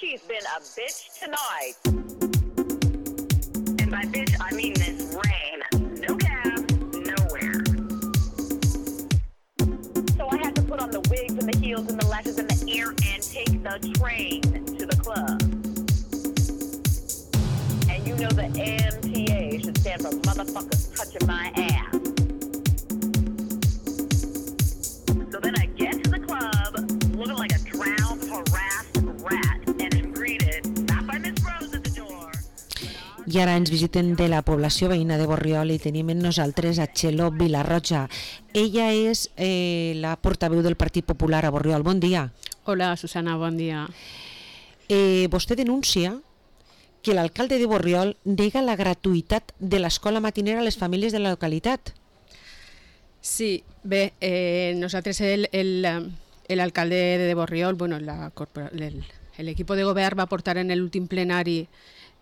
She's been a bitch tonight. And by bitch, I mean this rain. No cab, nowhere. So I had to put on the wigs and the heels and the lashes and the ear and take the train to the club. And you know the MTA should stand for motherfuckers touching my ass. So then I get to the club looking like a drowned, harassed rat and am greeted not by Miss Rose at the door. I ara ens visiten de la població veïna de Borriol i tenim amb nosaltres a Txelo Vilarroja. Ella és la portaveu del Partit Popular a Borriol. Bon dia. Hola, Susana, bon dia. Vostè denuncia que l'alcalde de Borriol nega la gratuïtat de l'escola matinera a les famílies de la localitat. Sí, bé, nosaltres l'alcalde de Borriol, bueno, el equipo de govern va portar en l'últim plenari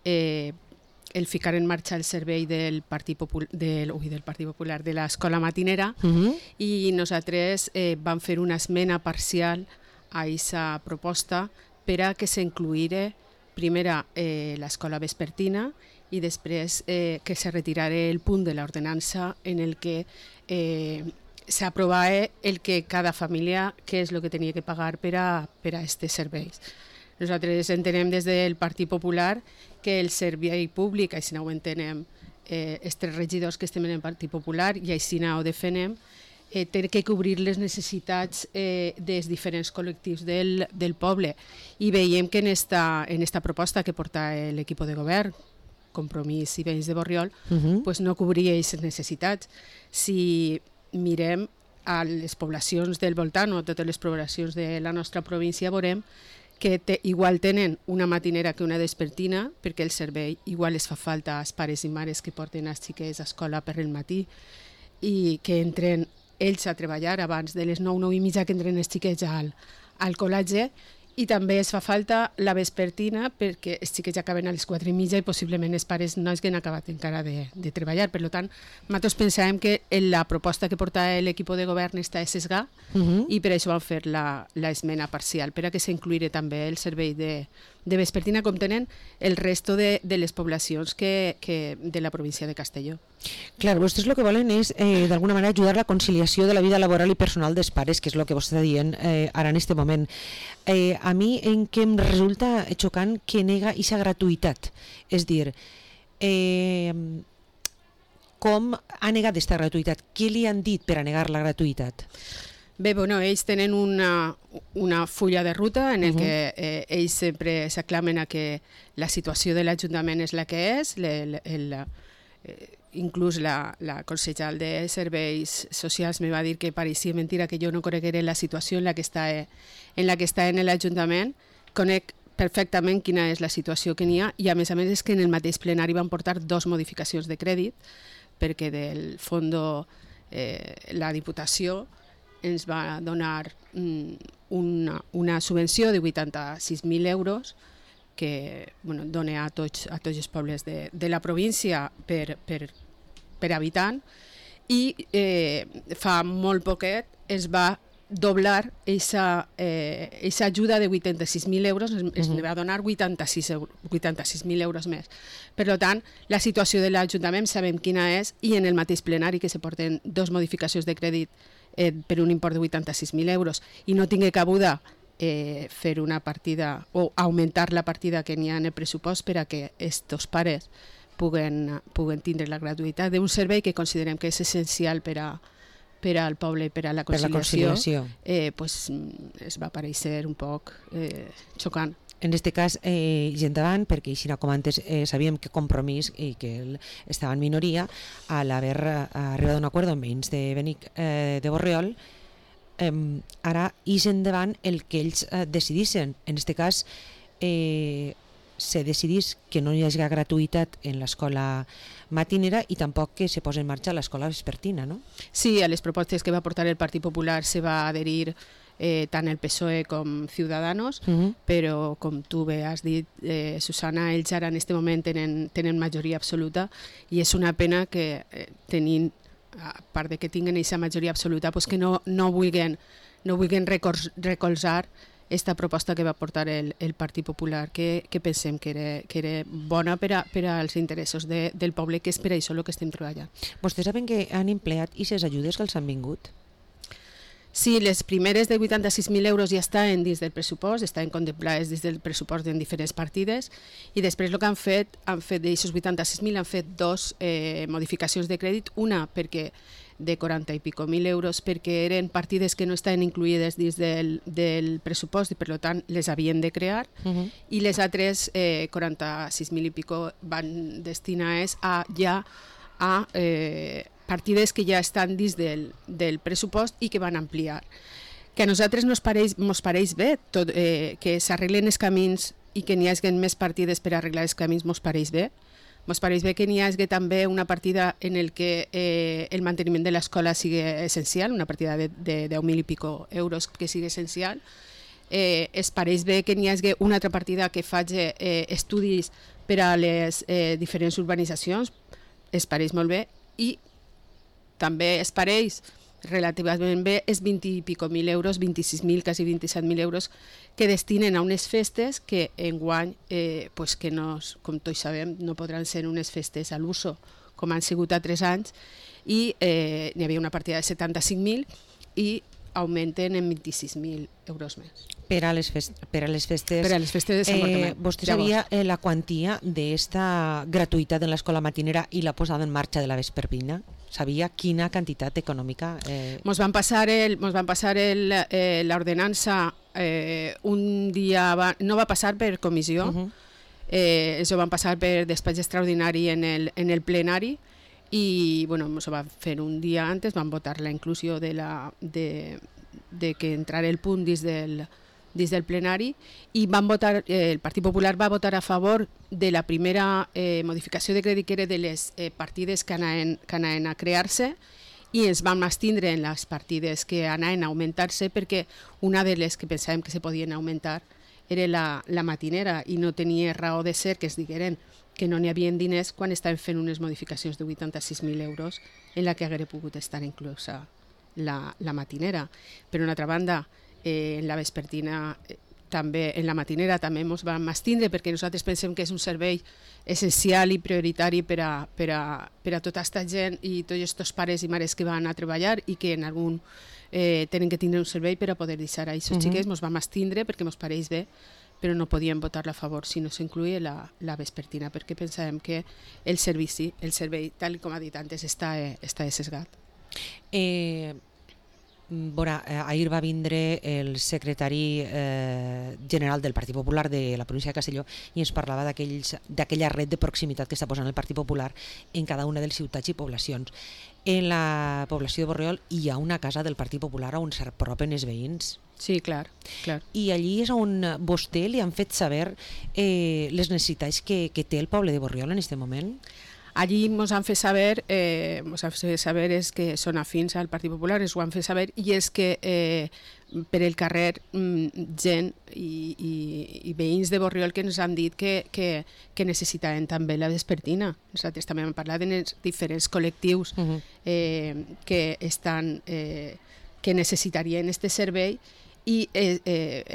el ficar en marxa el servei del Partit Popular de l'escola matinera i nosaltres vam fer una esmena parcial a aquesta proposta per a que s'incluïra primera l'escola vespertina i després que se retirara el punt de l'ordenança en el que s'aprovava el que cada família, què és el que tenia que pagar per a aquests serveis. Nosaltres entenem des del Partit Popular que el servei públic, així ho entenem els tres regidors que estem en el Partit Popular i així ho defenem, té que cobrir les necessitats dels diferents col·lectius del poble i veiem que en esta proposta que porta l'equip de govern, Compromís i Veïns de Borriol, pues no cobria aquestes necessitats. Si mirem a les poblacions del voltant o totes les poblacions de la nostra província veurem que igual tenen una matinera que una vespertina perquè el servei igual es fa falta als pares i mares que porten els xiquets a escola per el matí i que entren ells a treballar abans de les 9, 9 i mitja que entren els xiquets al col·legi i també es fa falta la vespertina perquè els xiquets acaben a les 4 i mitja i possiblement els pares no hagin acabat encara de treballar. Per tant, nosaltres pensàvem que la proposta que porta l'equip de govern està sesgada i per això vam fer l'esmena parcial, per a que s'incluïra també el servei de vespertina com tenen el resto de les poblacions de la província de Castelló. Clar, vostès el que volen és d'alguna manera ajudar la conciliació de la vida laboral i personal dels pares, que és el que vostè està dient ara en aquest moment. A mi en què em resulta xocant que nega aquesta gratuïtat, és dir, com ha negat aquesta gratuïtat? Què li han dit per a negar la gratuïtat? Bé, bueno, ells tenen una fulla de ruta en el que ells sempre s'aclamen a que la situació de l'Ajuntament és la que és, inclús la consellera de Serveis Socials me va dir que pareixia mentira que jo no coneguera la situació en la que està en l'Ajuntament. Conec perfectament quina és la situació que n'hi ha i a més és que en el mateix plenari van portar 2 modificacions de crèdit perquè del fons la Diputació ens va donar una subvenció de 86.000 euros que dona a tots els pobles de la província per habitant i fa molt poquet es va doblar aquesta ajuda de 86.000 euros, es va donar 86.000 euros més. Per tant, la situació de l'Ajuntament sabem quina és i en el mateix plenari que se porten 2 modificacions de crèdit per un import de 86.000 euros i no tingui cabuda fer una partida o augmentar la partida que n'hi ha en el pressupost per a que estos pares puguen tindre la gratuïtat d'un servei que considerem que és essencial per al poble i per a la conciliació, pues, es va parèixer un poc xocant. En aquest cas, gent davant, perquè així com antes sabíem que Compromís i que estava en minoria, al haver arribat a un acord amb veïns de Benic de Borriol, ara és endavant el que ells decidissin. En aquest cas, se decidís que no hi hagi gratuïtat en l'escola matinera i tampoc que se posi en marxa l'escola vespertina, no? Sí, a les propostes que va portar el Partit Popular se va adherir tant el PSOE com Ciudadanos, però com tu bé has dit, Susana, ells ara en aquest moment tenen majoria absoluta i és una pena que tenint, a part de que tinguen aquesta majoria absoluta, pues que no vulguin recolzar esta proposta que va portar el Partit Popular, que pensem que era bona per als interessos del poble, que és per això el que estem treballant. Vostès saben que han empleat i les ajudes que els han vingut? Sí, les primeres de 86.000 euros ja estan dins del pressupost, estan contemplades dins del pressupost en diferents partides, i després el que han fet d'aixòs 86.000 han fet dos modificacions de crèdit, una perquè de 40 i pico mil euros perquè eren partides que no estaven incluïdes dins del pressupost i per tant les havien de crear, i les altres 46.000 i pico van destinades a partides que ja estan dins del pressupost i que van ampliar. Que a nosaltres mos pareix bé que s'arreglen els camins i que n'hi hagi més partides per arreglar els camins, mos pareix bé. Mos pareix bé que n'hi hagi també una partida en el que el manteniment de l'escola sigui essencial, una partida de 10.000 i pico euros que sigui essencial. Es pareix bé que n'hi hagi una altra partida que faci estudis per a les diferents urbanitzacions, es pareix molt bé, i també es pareix relativament bé és 20 i pico mil euros, 26.000, quasi 27.000 euros, que destinen a unes festes que enguany, que no, com tots sabem, no podran ser unes festes a l'uso, com han sigut a 3 anys, i n'hi havia una partida de 75.000 i augmenten en 26.000 euros més. Per a les festes de Sant Bartomeu. Vostè sabia la quantia d'esta gratuïtat en l'escola matinera i la posada en marxa de la vespertina? Sabia quina quantitat econòmica? Mos van passar l'ordenança un dia abans, no va passar per comissió, això van passar per despatx extraordinari en el plenari, i mos va fer un dia antes, van votar la inclusió de que entrara el punt dins del plenari, i el Partit Popular va votar a favor de la primera modificació de crèdit, que era de les partides que anaven a crear-se, i ens vam abstindre en les partides que anaven a augmentar-se, perquè una de les que pensàvem que se podien augmentar era la matinera, i no tenia raó de ser que es digueren que no n'hi havia diners quan estàvem fent unes modificacions de 86.000 euros en la que haguera pogut estar inclosa la matinera. Per una altra banda, en la vespertina també, en la matinera també ens vam abstindre, perquè nosaltres pensem que és un servei essencial i prioritari per a tota aquesta gent i tots aquests pares i mares que van a treballar i que en algun tenen que tindre un servei per a poder deixar a aquests xiquets. Ens vam abstindre perquè ens pareix bé, però no podíem votar-la a favor si no s'incluïa la vespertina, perquè pensàvem que el servei, tal com ha dit antes, està sesgat. Ahir va vindre el secretari general del Partit Popular de la província de Castelló i ens parlava d'aquella red de proximitat que està posant el Partit Popular en cada una de les ciutats i poblacions. En la població de Borriol hi ha una casa del Partit Popular on s'apropen els veïns. Sí, clar. I allí és on vostè li han fet saber les necessitats que té el poble de Borriol en aquest moment? Allí ens han fet saber és que són afins al Partit Popular, ens ho han fet saber, i és que per el carrer gent i veïns de Borriol que ens han dit que necessitaven també la vespertina. Nosaltres també hem parlat dels diferents col·lectius que necessitarien aquest servei, i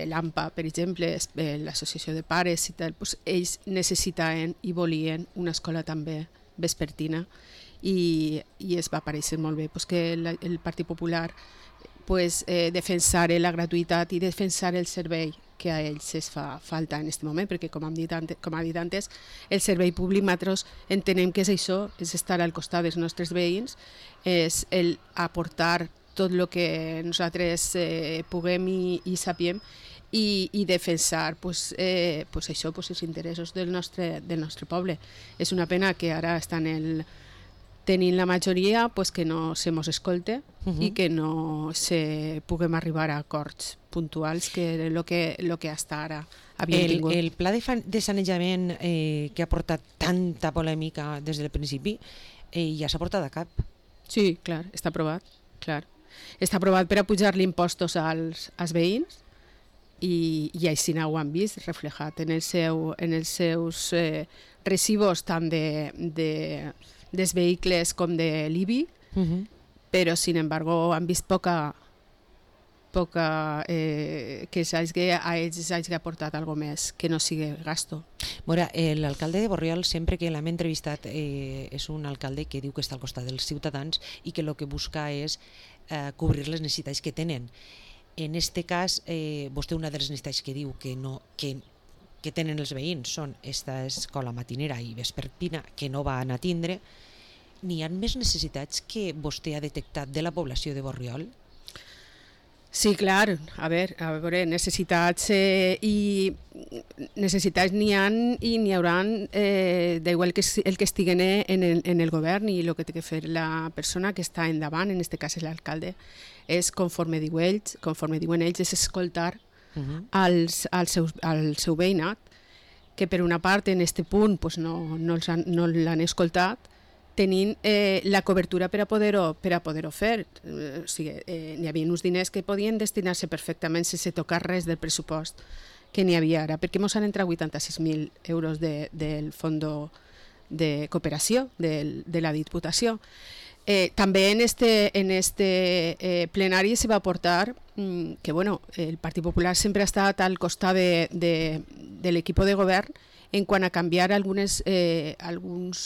l'AMPA, per exemple, l'associació de pares i tal, ells necessitaven i volien una escola també vespertina, i es va parèixer molt bé que el Partit Popular defensar la gratuïtat i defensar el servei que a ells es fa falta en aquest moment, perquè com ha dit antes, el servei públic nosaltres entenem que és això, és estar al costat dels nostres veïns, és el aportar tot el que nosaltres puguem i sapiem, i defensar això, els interessos del nostre poble. És una pena que ara estan tenint la majoria que no se mos escolte i que no puguem arribar a acords puntuals, que era el que hasta ara havíem tingut. El pla de sanejament que ha portat tanta polèmica des del principi ja s'ha portat a cap. Sí, clar, està aprovat, clar. Està aprovat per a pujar-li impostos als veïns, i així ho han vist reflejat en els seus recibos tant dels vehicles com de l'IBI, però sin embargo han vist poca que a ells s'hagi aportat alguna més, que no sigui gasto. Mira, l'alcalde de Borriol, sempre que l'hem entrevistat, és un alcalde que diu que està al costat dels ciutadans i que el que busca és cobrir les necessitats que tenen. En este cas, vostè una de les necessitats que diu que tenen els veïns són esta escola matinera i vespertina que no van a tindre. N'hi ha més necessitats que vostè ha detectat de la població de Borriol? Sí, clar, a veure, necessitats n'hi ha i n'hi haurà d'igual que el que estiguen en el govern, i el que té que fer la persona que està endavant, en aquest cas és l'alcalde, és conforme diuen ells, és escoltar al seu veïnat, que per una part en aquest punt no l'han escoltat, tenint la cobertura per a poder-ho fer. O sigui, n'hi havia uns diners que podien destinar-se perfectament sense tocar res del pressupost que n'hi havia ara, perquè ens han entrat 86.000 euros del Fons de Cooperació de la Diputació. També en este plenari se va aportar que el Partit Popular sempre ha estat al costat de l'equip de govern en quant a canviar alguns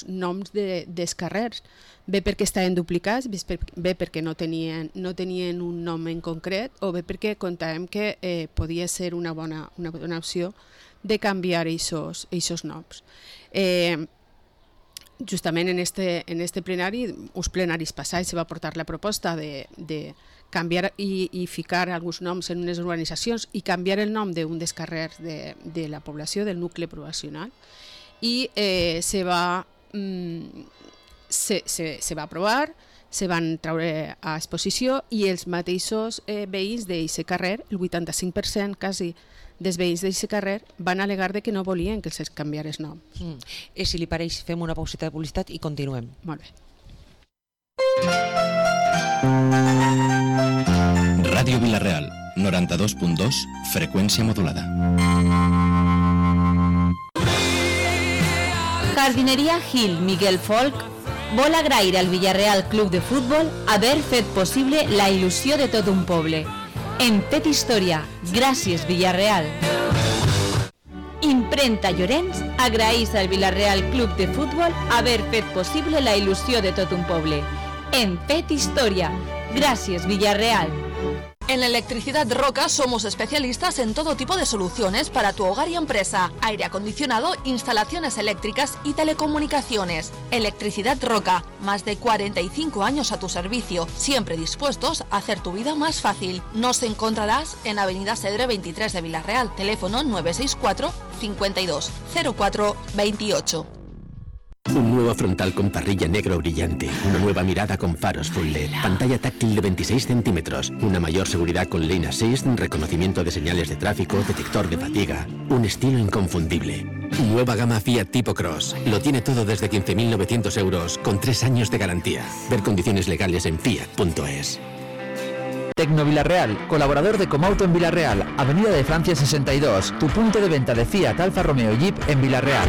noms dels carrers, bé perquè estaven duplicats, bé perquè no tenien un nom en concret, o bé perquè comptàvem que podia ser una bona opció de canviar aquests noms. Justament en este plenari, uns plenaris passats, se va portar la proposta de canviar i ficar alguns noms en unes urbanitzacions i canviar el nom d'un dels carrers de la població, del nucli poblacional, i se va aprovar, se van treure a exposició, i els mateixos veïns d'aquest carrer, el 85% quasi dels veïns d'aquest carrer, van al·legar que no volien que se'ls canviés nom. Si li pareix, fem una pausita de publicitat i continuem. Molt bé. Ràdio Vila-real, 92.2, freqüència modulada. Jardineria Gil Miguel Folk vol agrair al Villarreal Club de Futbol haver fet possible la il·lusió de tot un poble. En fet història, gràcies Villarreal. Imprenta Llorenç agraeix al Villarreal Club de Futbol haver fet possible la il·lusió de tot un poble. En fet història, gràcies Villarreal. En Electricidad Roca somos especialistas en todo tipo de soluciones para tu hogar y empresa, aire acondicionado, instalaciones eléctricas y telecomunicaciones. Electricidad Roca, más de 45 años a tu servicio, siempre dispuestos a hacer tu vida más fácil. Nos encontrarás en Avenida Segre 23 de Vila-real, teléfono 964 52 04 28. Un nuevo frontal con parrilla negro brillante, una nueva mirada con faros full LED, pantalla táctil de 26 centímetros, una mayor seguridad con Lane Assist, reconocimiento de señales de tráfico, detector de fatiga, un estilo inconfundible. Nueva gama Fiat Tipo Cross, lo tiene todo desde 15.900 euros, con 3 años de garantía. Ver condiciones legales en fiat.es. Tecno Vila-real, colaborador de Comauto en Vila-real, Avenida de Francia 62, tu punto de venta de Fiat, Alfa Romeo y Jeep en Vila-real.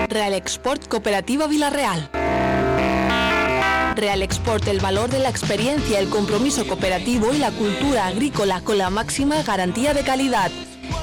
Real Export Cooperativa Vila-real. Real Export, el valor de la experiencia, el compromiso cooperativo y la cultura agrícola con la máxima garantía de calidad.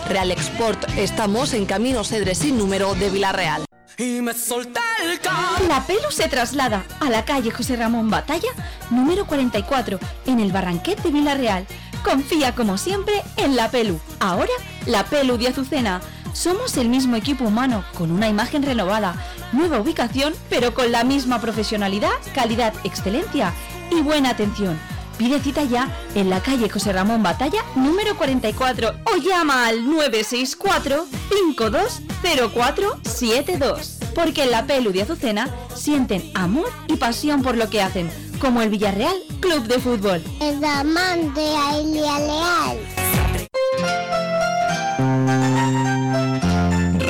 Real Export, estamos en Camino Segre sin número de Vila-real. La Pelu se traslada a la calle José Ramón Batalla, número 44, en el Barranquet de Vila-real. Confía como siempre en La Pelu. Ahora, La Pelu de Azucena. Somos el mismo equipo humano, con una imagen renovada, nueva ubicación, pero con la misma profesionalidad, calidad, excelencia y buena atención. Pide cita ya en la calle José Ramón Batalla, número 44, o llama al 964 520472. Porque en La Pelu de Azucena sienten amor y pasión por lo que hacen, como el Villarreal Club de Fútbol. El amante a Villarreal.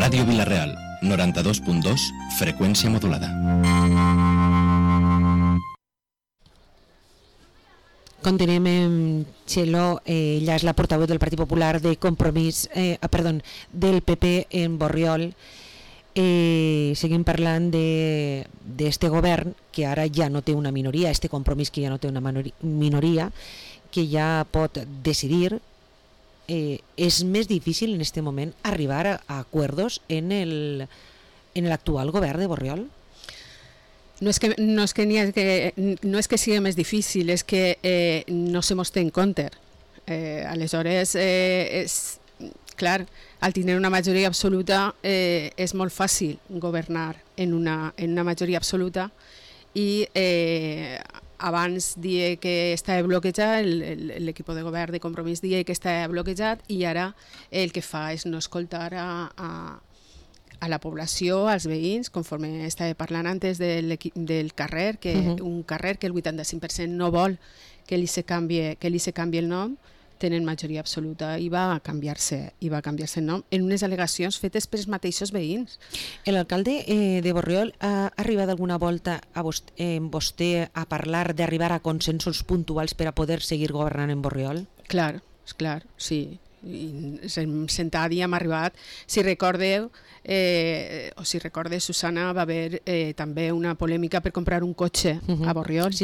Ràdio Vila-real, 92.2, freqüència modulada. Continuem amb Txelo, ella és la portaveu del Partit Popular de Compromís, del PP en Borriol. seguim parlant d'este govern que ara ja no té una minoria, este compromís que ja no té una minoria, que ja pot decidir. És més difícil en este moment arribar a acuerdos en l'actual govern de Borriol? No és que sigui més difícil, és que no se mos té en compte. Aleshores, clar, al tenir una majoria absoluta és molt fàcil governar en una majoria absoluta i abans dia que estava bloquejat, l'equip de govern de Compromís dia que estava bloquejat i ara el que fa és no escoltar a la població, als veïns, conforme estava parlant antes del carrer, un carrer que el 85% no vol que li se canvi el nom, tenen majoria absoluta i va canviar-se el nom en unes al·legacions fetes pels mateixos veïns. L'alcalde de Borriol ha arribat alguna volta amb vostè a parlar d'arribar a consensos puntuals per a poder seguir governant en Borriol? Clar, sí. Sentat i hem arribat. Si recordeu, Susana, va haver també una polèmica per comprar un cotxe a Borriol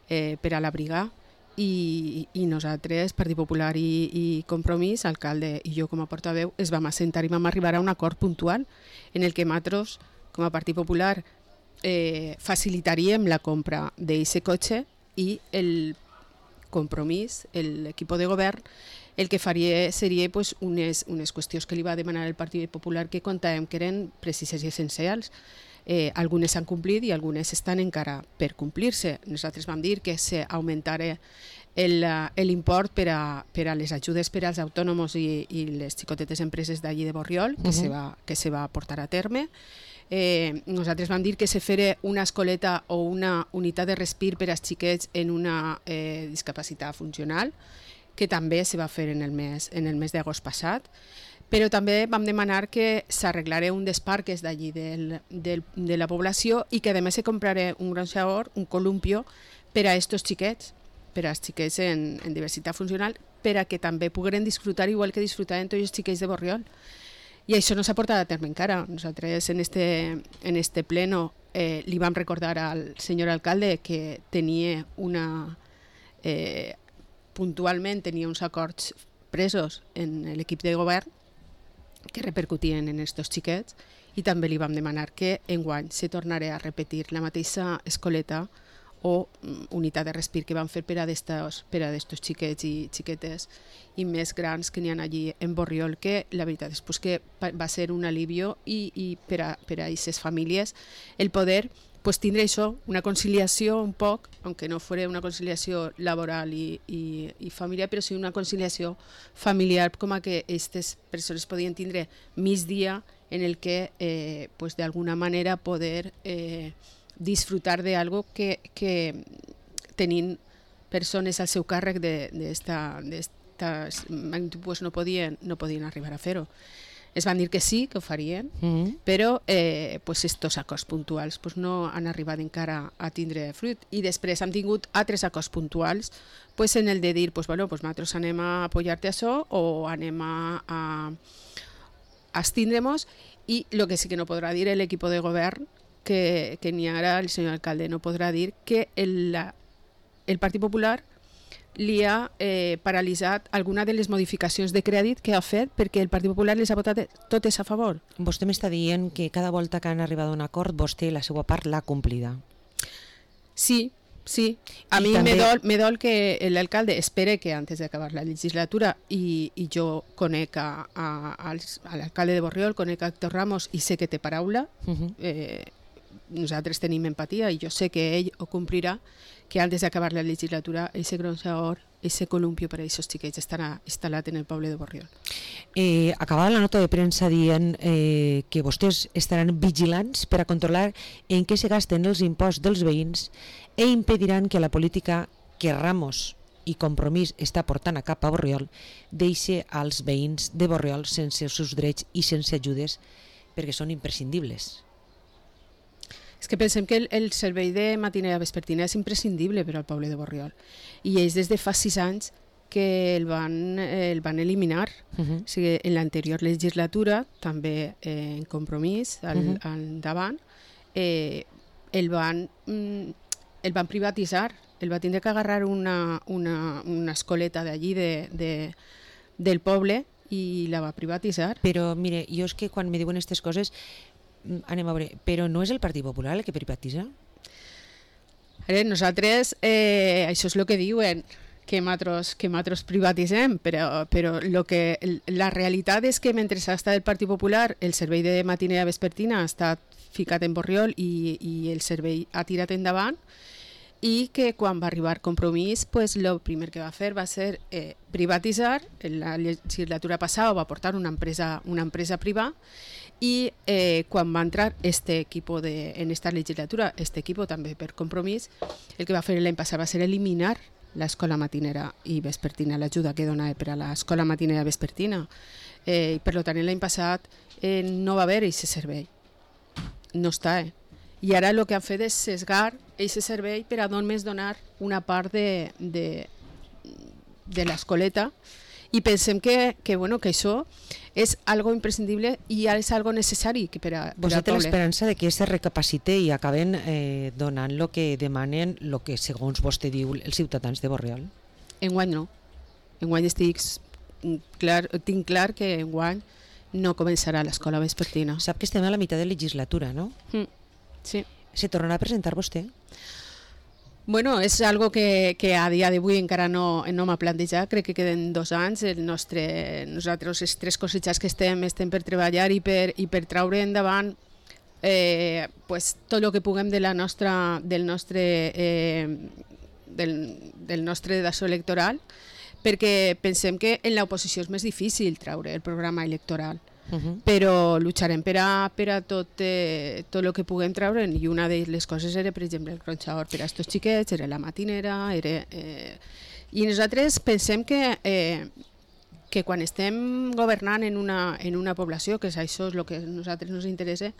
per a l'abrigar. I nosaltres, Partit Popular i Compromís, alcalde i jo com a portaveu, es vam assentar i vam arribar a un acord puntual en el que nosaltres, com a Partit Popular, facilitaríem la compra d'aquest cotxe i el Compromís, l'equip de govern, el que faria seria unes qüestions que li va demanar el Partit Popular que comptàvem que eren precises i essencials. Algunes s'han complit i algunes estan encara per complir-se. Nosaltres vam dir que s'augmentara l'import per a les ajudes per als autònoms i les xicotetes empreses d'allí de Borriol, que se va portar a terme. Nosaltres vam dir que se fera una escoleta o una unitat de respir per als xiquets en una discapacitat funcional, que també se va fer en el mes d'agost passat. Però també vam demanar que s'arreglara un dels parques d'allí de la població i que a més se comprara un gronxador, un columpio, per a aquests xiquets, per als xiquets en diversitat funcional, per a que també pogueren disfrutar igual que disfrutaven tots els xiquets de Borriol. I això no s'ha portat a terme encara. Nosaltres en este pleno li vam recordar al senyor alcalde que tenia puntualment tenia uns acords presos en l'equip de govern que repercutien en aquests xiquets i també li vam demanar que enguany se tornarà a repetir la mateixa escoleta o unitat de respir que van fer per a d'estos xiquets i xiquetes i més grans que n'hi ha allí en Borriol, que la veritat és que va ser un alivio i per a aquestes famílies el poder tindre això, una conciliació un poc, aunque no fos una conciliació laboral i familiar, però sí una conciliació familiar com a que aquestes persones podien tindre mig dia en el que d'alguna manera poder disfrutar d'algo que tenint persones al seu càrrec d'esta magnitud no podien arribar a fer-ho. Es van dir que sí, que ho farien, però estos acords puntuals no han arribat encara a tindre fruit. I després hem tingut altres acords puntuals en el de dir, nosaltres anem a apoyar-te això o anem a abstindre-nos, i el que sí que no podrà dir l'equip de govern, que n'hi ha ara el senyor alcalde, no podrà dir que el Partit Popular li ha paralitzat alguna de les modificacions de crèdit que ha fet perquè el Partit Popular les ha votat totes a favor. Vostè m'està dient que cada volta que han arribat a un acord, vostè la seva part l'ha complida. Sí. A mi me dol que l'alcalde espere que antes d'acabar la legislatura, i jo conec a l'alcalde de Borriol, conec a Héctor Ramos i sé que té paraula, nosaltres tenim empatia i jo sé que ell ho complirà, que antes d'acabar la legislatura ese gronxador, ese columpio per a aquests xiquets estarà instal·lat en el poble de Borriol. Acabava la nota de premsa dient que vostès estaran vigilants per a controlar en què se gasten els imposts dels veïns i impediran que la política que Ramos i Compromís està portant a cap a Borriol deixi als veïns de Borriol sense els seus drets i sense ajudes perquè són imprescindibles. És que pensem que el servei de matinera vespertina és imprescindible per al poble de Borriol. I ells des de fa 6 anys que el van eliminar. O sigui, en l'anterior legislatura, també en Compromís, al davant, el van privatitzar. El va tindre que agarrar una escoleta d'allí del poble i la va privatitzar. Però, mire, jo és que quan me diuen aquestes coses, anem a veure, però no és el Partit Popular el que privatitza? Nosaltres, això és el que diuen, que nosaltres privatitzem, però la realitat és que mentre ha estat el Partit Popular, el servei de matinera vespertina ha estat ficat en Borriol i el servei ha tirat endavant, i que quan va arribar Compromís, pues, el primer que va fer va ser privatitzar. En la legislatura passada va portar una empresa privada, i quan va entrar este equipo en esta legislatura, este equipo també per Compromís, el que va fer l'any passat va ser eliminar l'escola matinera i vespertina, l'ajuda que donava per a l'escola matinera i vespertina. I per tant, l'any passat no va haver aquest servei. No està, I ara el que han fet és sesgar aquest servei per a només donar una part de l'escoleta, i pensem que això és algo imprescindible i és algo necessari per a Vostè té poble. l'esperança de que se recapacite i acaben donant el que demanen, el que segons vostè diu, els ciutadans de Borriol? Enguany no. Enguany tinc clar que enguany no començarà l'escola vespertina. Sap que estem a la meitat de legislatura, no? Sí. Se tornarà a presentar vostè? Bueno, és algo que a dia d'avui encara no m'ha plantejat. Crec que queden 2 anys. Nosaltres, les 3 cosechas que estem per treballar i per traure endavant tot el que puguem del nostre daçó electoral, perquè pensem que en l'oposició és més difícil traure el programa electoral. Però lucharem per a tot el que puguem treure, i una de les coses era, per exemple, el gronxador per a estos xiquets, era la matinera, i nosaltres pensem que quan estem governant en una població, que això és el que a nosaltres ens interessa,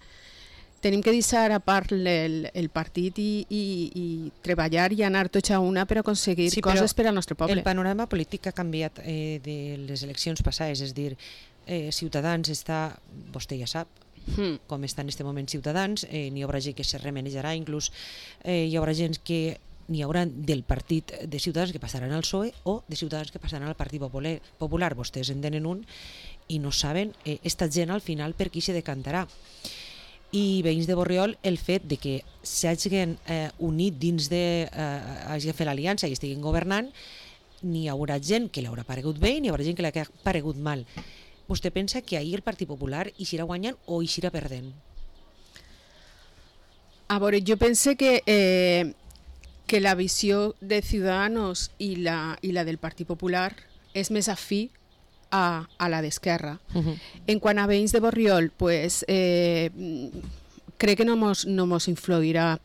tenim que deixar a part el partit i treballar i anar tots a una per aconseguir coses per al nostre poble. El panorama polític ha canviat de les eleccions passades, és dir, Ciutadans està, vostè ja sap com està en aquest moment Ciutadans, n'hi haurà gent que se remenejarà, inclús hi haurà gent que n'hi haurà del partit de Ciutadans que passaran al PSOE o de Ciutadans que passaran al Partit Popular. Vostès en tenen un i no saben esta gent al final per qui se decantarà. I veïns de Borriol, el fet de que s'hagin unit dins hagin fet l'aliança i estiguin governant, n'hi haurà gent que li haurà paregut bé i n'hi haurà gent que li ha paregut mal. Vostè pensa que ahir el Partit Popular eixirà guanyant o eixirà perdent? A veure, jo penso que la visió de Ciudadanos i la del Partit Popular és més afí a la d'Esquerra. En quant a veïns de Borriol, pues, crec que no mos influirà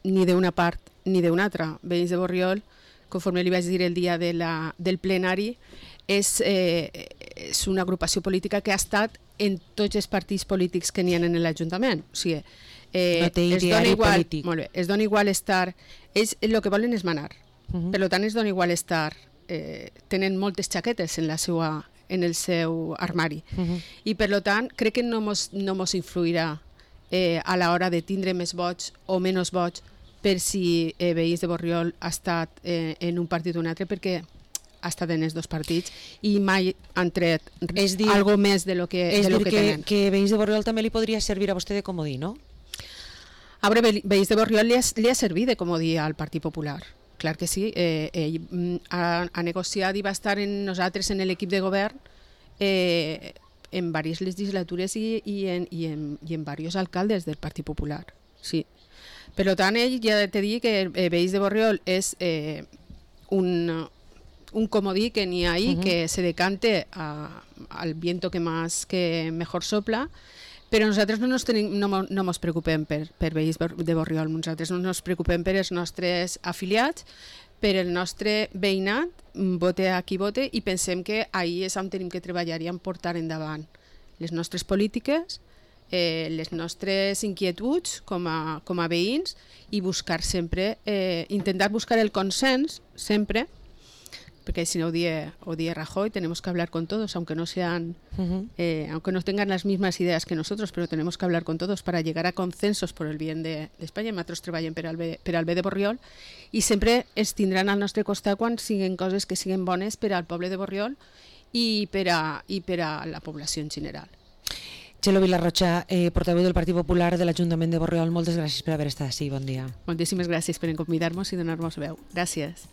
ni d'una part ni d'una altra. Veïns de Borriol, conforme li vaig dir el dia del plenari, és una agrupació política que ha estat en tots els partits polítics que n'hi ha en l'Ajuntament. O sigui, no té ideari polític. Molt bé, es dona igual estar... El que volen és manar. Per tant, es dona igual estar... tenen moltes xaquetes en el seu armari. I per tant, crec que no mos influirà a l'hora de tindre més vots o menys vots per si veïns de Borriol ha estat en un partit o un altre, perquè ha estat en els 2 partits i mai han tret algo més de lo que tenen. Que veïns de Borriol també li podria servir a vostè de comodí, no? A veure, veïns de Borriol li ha servit de comodí al Partit Popular. Clar que sí. Ell ha negociat i va estar en nosaltres en l'equip de govern en diverses legislatures i en diversos alcaldes del Partit Popular. Sí. Per tant, ell ja t'he dit que veïns de Borriol és un comodí que n'hi ha ahí, que se decante al viento que mejor sopla, però nosaltres no ens preocupem per veïns de Borriol, nosaltres no ens preocupem per els nostres afiliats, per el nostre veïnat, vote a qui vote, i pensem que ahí és on tenim que treballar i portar endavant les nostres polítiques, les nostres inquietuds com a veïns, i buscar sempre, intentar buscar el consens sempre, porque si no odie Rajoy, tenemos que hablar con todos, aunque no sean, aunque no tengan las mismas ideas que nosotros, pero tenemos que hablar con todos para llegar a consensos por el bien d'Espanya. Nosaltres treballem per al bé de Borriol i sempre es tindran al nostre costat quan siguin coses que siguin bones per al poble de Borriol i per a la població en general. Txelo Vilarrocha, portaveu del Partit Popular de l'Ajuntament de Borriol, moltes gràcies per haver estat així. Bon dia. Moltíssimes gràcies per convidar-nos i donar-nos veu. Gràcies.